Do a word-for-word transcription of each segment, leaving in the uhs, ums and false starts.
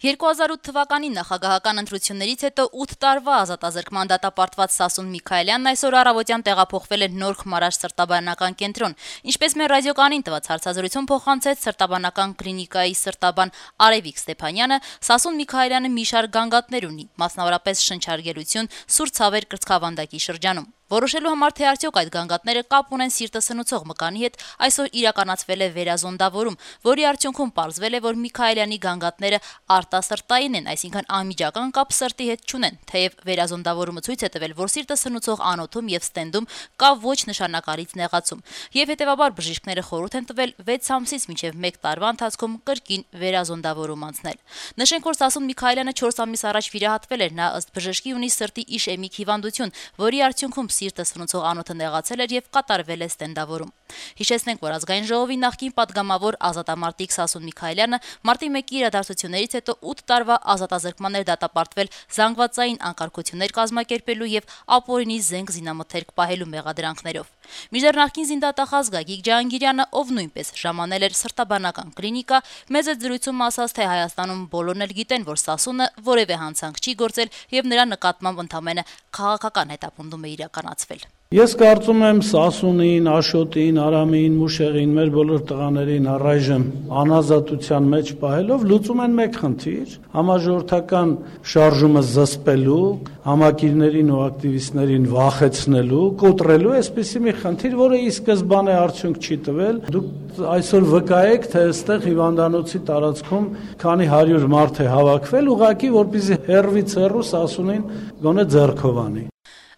երկու հազար ութ թվականի նախագահական ընտրություններից հետո ութ տարվա ազատազրկման դատապարտված Սասուն Միքայելյանն այսօր առավոտյան տեղափոխվել է Նոր Խմարաշ սրտաբանական կենտրոն։ Ինչպես մեր ռադիոկանին տված հարցազրույցում փոխանցեց սրտաբանական կլինիկայի սրտաբան Արևիկ Ստեփանյանը, Սասուն Միքայելյանը մի շարք գանգատներ ունի, մասնավորապես շնչարգելություն, սուր ցավեր կրծքավանդակի շրջանում։ Որոշելու համար թե արդյոք այդ գանգատները կապ ունեն սիրտը սնուցող մկանի հետ, այսօր իրականացվել է վերազոնդավորում, որի արդյունքում պարզվել է, որ Միքայելյանի գանգատները արտասրտային են, այսինքն անմիջական կապ սրտի հետ չունեն, թեև վերազոնդավորումը ցույց է տվել, որ սիրտը սնուցող անոթում եւ ստենդում կա ոչ նշանակալից նեղացում, եւ հետեւաբար բժիշկները խորհուրդ են տվել վեց ամսից մինչեւ մեկ տարվա ընթացքում կրկին վերազոնդավորում անցնել։ Նշենք, որ Սասուն Միքայելյանը չորս ամիս առաջ վիրահատվել էր, նա ըստ բժշկի ունի սրտի իշեմիկ հիվանդություն, որի արդյունքում սիրտը սնուցող անոթը նեղացել էր եւ կատարվել է ստենդավորում։ Հիշեցնենք, որ ազգային ժողովի նախկին падգամավոր ազատամարտիկ Սասուն Միքայելյանը մարտի մեկի իրադարձություններից հետո ութ տարվա ազատազրկման էր դատապարտվել զանգվածային անկարգություններ կազմակերպելու եւ ապօրինի զենք զինամթերք պահելու մեղադրանքներով։ Մինչդեռ նախկին զինդատախազ Գագիկ Ջահանգիրյանը, ով նույնպես ժամանել էր սրտաբանական կլինիկա, մեծ զրույցում ասաց, թե Հայաստանում բոլորն էլ գիտեն, որ Սասունը որևէ հանցանք չի գործել եւ նրա նկատմամբ ընդամենը քաղաքական հետապնդում է իրականացվել։ Ես կարծում եմ Սասունին, Աշոտին, Արամին, Մուշեղին, մեր բոլոր տղաներին առայժմ անազատության մեջ պահելով լուծում են մեկ խնդիր՝ համաժողովրդական շարժումը զսպելու, համակիրներին ու ակտիվիստներին վախեցնելու, կոտրելու, այսպիսի մի խնդիր, որը ի սկզբանե արդյունք չի տվել։ Դուք այսօր վկայեք, թե այստեղ հիվանդանոցի տարածքում քանի հարյուր մարդ է հավաքվել, ուղղակի որպեսզի հեռվից հեռու Սասունին գոնե ձեռքով անի։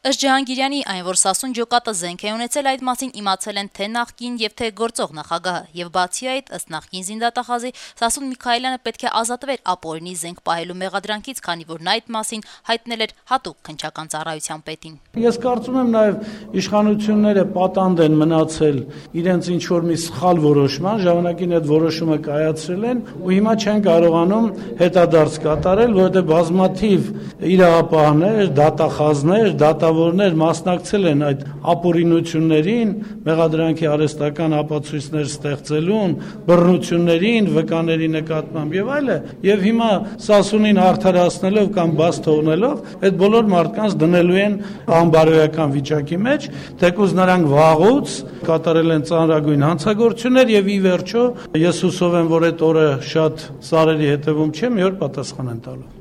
Ըստ Ջահանգիրյանի, այն, որ Սասուն ջոկատը զենք է ունեցել, այդ մասին իմացել են թե նախկին եւ թե գործող նախագահը, եւ բացի այդ, ըստ նախկին զինդատախազի, Սասուն Միքայելյանը պետք է ազատվեր ապօրինի զենք պահելու մեղադրանքից, քանի որ նա այդ մասին հայտնել էր հատուկ քննչական ծառայության պետին։ Ես կարծում եմ նաեւ իշխանությունները պատանդ են մնացել իրենց ինչ որ մի սխալ որոշման, ժամանակին այդ որոշումը կայացրել են ու հիմա չեն կարողանում հետադարձ կատարել, որովհետեւ բազմաթիվ իրավապահներ, դատախազներ, դատա որներ մասնակցել են այդ ապօրինություններին, մեղադրանքի արհեստական ապացույցներ ստեղծելուն, բռնություններին, վկաների նկատմամբ եւ այլը, եւ հիմա Սասունին արդարացնելով կամ բաց թողնելով, այդ բոլոր մարդկանց դնելու են անբարոյական վիճակի մեջ, թեկուզ նրանք վաղուց կատարել են ծանրագույն հանցագործություններ եւ ի վերջո ես հուսով եմ, որ այդ օրը շատ սարերի հետևում չէ, մի օր պատասխան են տալու։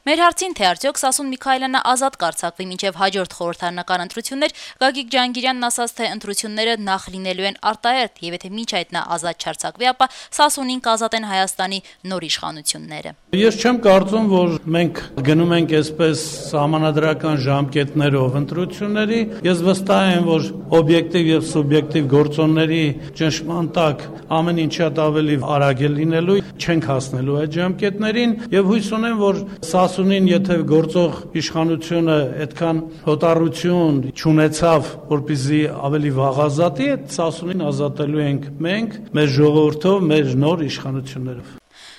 Մեր հարցին, թե արդյոք Սասուն Միքայելյանը ազատ կարձակվի մինչև հաջորդ խորհրդարանական ընտրություններ, Գագիկ Ջահանգիրյանն ասաց, թե ընտրությունները նախ լինելու են արտահերթ, եւ եթե մինչ այդ նա ազատ չարձակվի, ապա Սասունին կազատեն Հայաստանի նոր իշխանությունները։ Ես չեմ կարծում, որ մենք գնում ենք այսպես սահմանադրական ժամկետներով ընտրությունների։ Ես վստահ եմ, որ օբյեկտիվ եւ սուբյեկտիվ գործոնների ճնշման տակ ամեն ինչ շատ ավելի արագ է լինելու, չենք հասնելու այդ ժամկետներին եւ հույս ունեմ, որ Սասունին, եթե գործող իշխանությունը այդքան հոտառություն չունեցավ, որպեսզի ավելի վաղ ազատի, այդ Սասունին ազատելու ենք մենք, մեր ժողովրդով, մեր նոր իշխանություններով։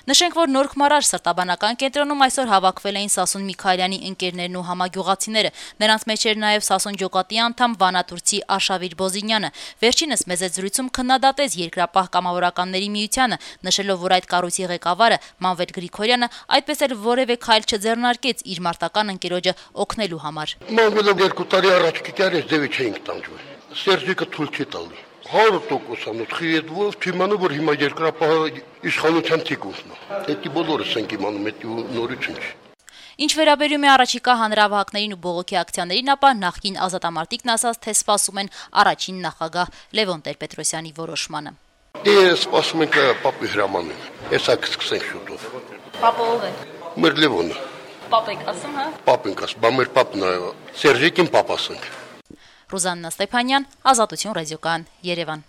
Նշենք, որ Նոր Խմարաշ սրտաբանական կենտրոնում այսօր հավաքվել էին Սասուն Միքայելյանի ընկերներն ու համագյուղացիները։ Նրանց մեջ էր նաև Սասուն ջոկատի անդամ վանատուրցի Արշավիր Բոզինյանը։ Վերջինս մեծ զրույցում քննադատեց Երկրապահ կամավորականների միությանը, նշելով, որ այդ կառույցի ղեկավարը Մանվել Գրիգորյանը այդպես էլ որևէ քայլ չձեռնարկեց իր մարտական ընկերոջը օգնելու համար։ Մանվելը երկու տարի առաջ կիտարից դեպի չէինք տանջվել։ Սերժիկը թույլ չի տալի։ հարյուր տոկոս անոթի հետ ով թիմանը որ հիմա երկրապահ իշխանության թիկունքն է։ Դա բոլորս ենք իմանում, դա նորություն չի։ Ինչ վերաբերում է առաջիկա հանրավահակներին ու բողոքի ակցիաներին, ապա նախկին ազատամարտիկն ասաց, թե սպասում են առաջին նախագահ Լևոն Տեր-Պետրոսյանի որոշմանը։ Դե սպասում ենք Պապի հրամանին։ Հեսա կսկսենք շուտով։ Պապը ով է։ Մեր Լևոնը։ Պապ եք ասում, հա։ Պապ ենք ասում, բա մեր պապն է, Սերժիկին պապ ասենք։ Ռուզաննա Ստեփանյան, Ազատություն ռադիոկայան, Երևան։